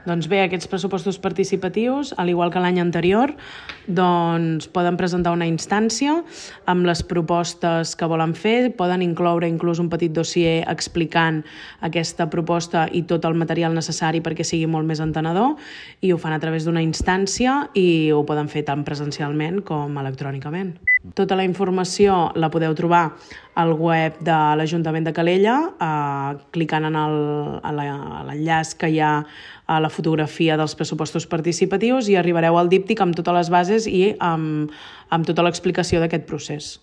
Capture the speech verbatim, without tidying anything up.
Doncs bé, aquests pressupostos participatius, al igual que l'any anterior, doncs poden presentar una instància amb les propostes que volen fer, poden incloure inclús un petit dossier explicant aquesta proposta i tot el material necessari perquè sigui molt més entenedor, i ho fan a través d'una instància i ho poden fer tant presencialment com electrònicament. Tota la informació la podeu trobar al web de l'Ajuntament de Calella, eh, clicant en el- a la- a l'enllaç que hi ha a la fotografia dels pressupostos participatius, i arribareu al díptic amb totes les bases i amb, amb tota l'explicació d'aquest procés.